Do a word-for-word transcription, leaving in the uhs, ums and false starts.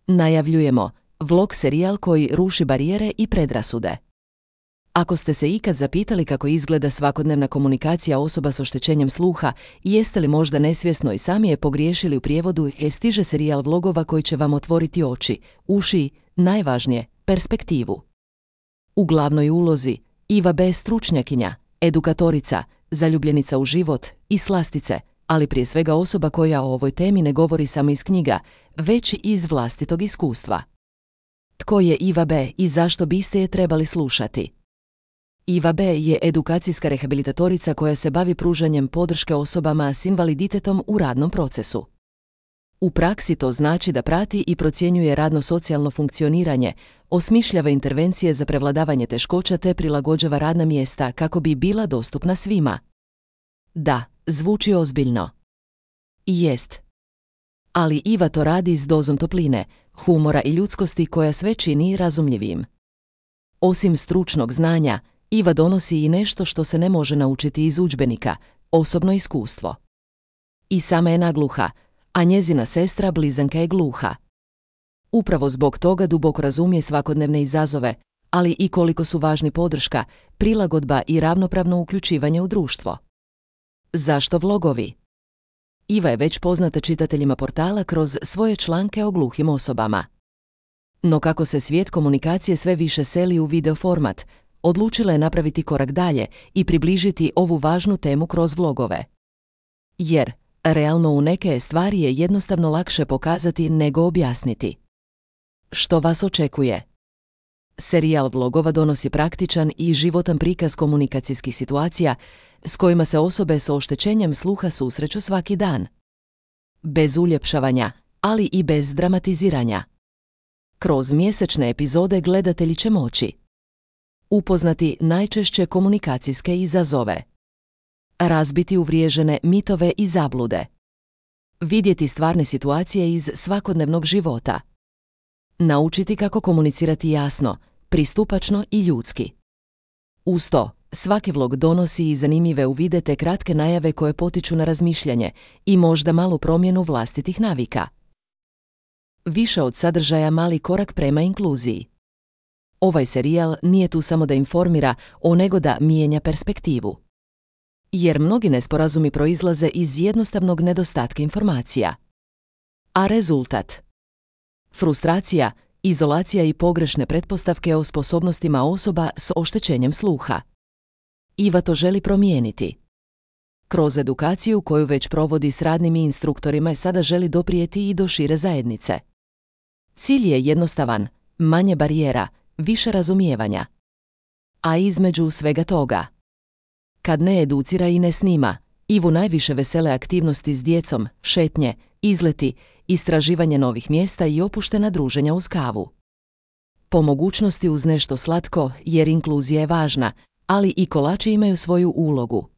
Najavljujemo vlog serijal koji ruši barijere i predrasude. Ako ste se ikad zapitali kako izgleda svakodnevna komunikacija osoba s oštećenjem sluha i jeste li možda nesvjesno i sami je pogriješili u prijevodu, e stiže serijal vlogova koji će vam otvoriti oči, uši, najvažnije, perspektivu. U glavnoj ulozi Iva B. stručnjakinja, edukatorica, zaljubljenica u život i slastice, ali prije svega osoba koja o ovoj temi ne govori samo iz knjiga, već i iz vlastitog iskustva. Tko je Iva B. i zašto biste je trebali slušati? Iva B. je edukacijska rehabilitatorica koja se bavi pružanjem podrške osobama s invaliditetom u radnom procesu. U praksi to znači da prati i procjenjuje radno-socijalno funkcioniranje, osmišljava intervencije za prevladavanje teškoća te prilagođava radna mjesta kako bi bila dostupna svima. Da, zvuči ozbiljno. I jest. Ali Iva to radi s dozom topline, humora i ljudskosti koja sve čini razumljivim. Osim stručnog znanja, Iva donosi i nešto što se ne može naučiti iz udžbenika, osobno iskustvo. I sama je nagluha, a njezina sestra blizanka je gluha. Upravo zbog toga duboko razumije svakodnevne izazove, ali i koliko su važni podrška, prilagodba i ravnopravno uključivanje u društvo. Zašto vlogovi? Iva je već poznata čitateljima portala kroz svoje članke o gluhim osobama. No kako se svijet komunikacije sve više seli u video format, odlučila je napraviti korak dalje i približiti ovu važnu temu kroz vlogove. Jer, realno u neke stvari je jednostavno lakše pokazati nego objasniti. Što vas očekuje? Serijal vlogova donosi praktičan i životan prikaz komunikacijskih situacija s kojima se osobe s oštećenjem sluha susreću svaki dan. Bez uljepšavanja, ali i bez dramatiziranja. Kroz mjesečne epizode gledatelji će moći upoznati najčešće komunikacijske izazove, razbiti uvriježene mitove i zablude, vidjeti stvarne situacije iz svakodnevnog života, naučiti kako komunicirati jasno, pristupačno i ljudski. Uz to, svaki vlog donosi i zanimljive uvide te kratke najave koje potiču na razmišljanje i možda malu promjenu vlastitih navika. Više od sadržaja mali korak prema inkluziji. Ovaj serijal nije tu samo da informira, o nego da mijenja perspektivu. Jer mnogi nesporazumi proizlaze iz jednostavnog nedostatka informacija. A rezultat? Frustracija, izolacija i pogrešne pretpostavke o sposobnostima osoba s oštećenjem sluha. Iva to želi promijeniti. Kroz edukaciju koju već provodi s radnim i instruktorima sada želi doprijeti i do šire zajednice. Cilj je jednostavan, manje barijera, više razumijevanja. A između svega toga, kad ne educira i ne snima, Ivu najviše vesele aktivnosti s djecom, šetnje, izleti, istraživanje novih mjesta i opuštena druženja uz kavu. Po mogućnosti uz nešto slatko, jer inkluzija je važna, ali i kolači imaju svoju ulogu.